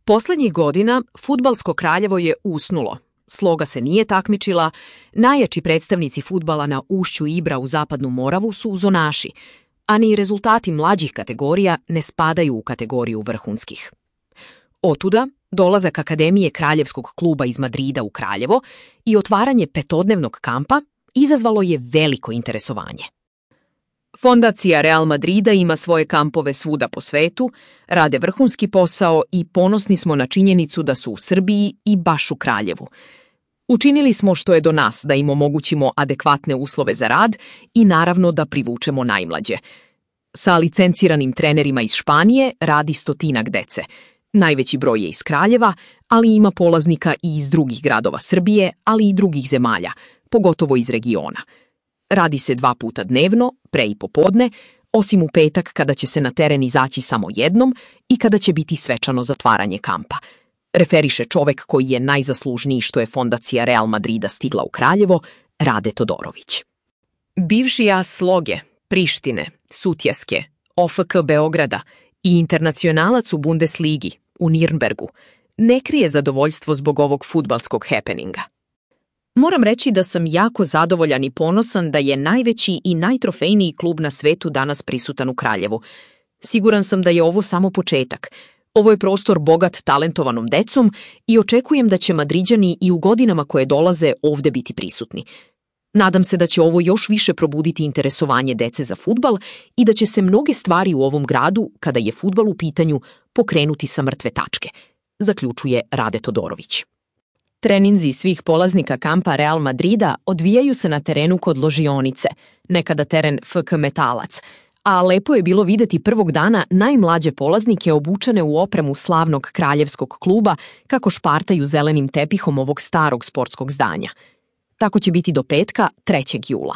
Poslednjih godina fudbalsko Kraljevo je usnulo. Sloga se nije takmičila, najjači predstavnici fudbala na ušću Ibra u Zapadnu Moravu su zonaši, a ni rezultati mlađih kategorija ne spadaju u kategoriju vrhunskih. Otuda, dolazak Akademije Kraljevskog kluba iz Madrida u Kraljevo i otvaranje petodnevnog kampa izazvalo je veliko interesovanje. Fondacija Real Madrida ima svoje kampove svuda po svetu, rade vrhunski posao i ponosni smo na činjenicu da su u Srbiji i baš u Kraljevu. Učinili smo što je do nas da im omogućimo adekvatne uslove za rad i naravno da privučemo najmlađe. Sa licenciranim trenerima iz Španije radi 100 dece. Najveći broj je iz Kraljeva, ali ima polaznika i iz drugih gradova Srbije, ali i drugih zemalja, pogotovo iz regiona. Radi se 2 puta dnevno, pre i popodne, osim u petak kada će se na teren izaći samo jednom i kada će biti svečano zatvaranje kampa. Referiše čovek koji je najzaslužniji što je fondacija Real Madrida stigla u Kraljevo, Rade Todorović. Bivši as Sloge, Prištine, Sutjeske, OFK Beograda i internacionalac u Bundesligi, u Nirnbergu, ne krije zadovoljstvo zbog ovog fudbalskog happeninga. Moram reći da sam jako zadovoljan i ponosan da je najveći i najtrofejniji klub na svetu danas prisutan u Kraljevu. Siguran sam da je ovo samo početak. Ovo je prostor bogat talentovanom decom i očekujem da će Madriđani i u godinama koje dolaze ovde biti prisutni. Nadam se da će ovo još više probuditi interesovanje dece za fudbal i da će se mnoge stvari u ovom gradu, kada je fudbal u pitanju, pokrenuti sa mrtve tačke, zaključuje Rade Todorović. Treninzi svih polaznika kampa Real Madrida odvijaju se na terenu kod ložionice, nekada teren FK Metalac, a lepo je bilo videti prvog dana najmlađe polaznike obučene u opremu slavnog kraljevskog kluba kako špartaju zelenim tepihom ovog starog sportskog zdanja. Tako će biti do petka 3. jula.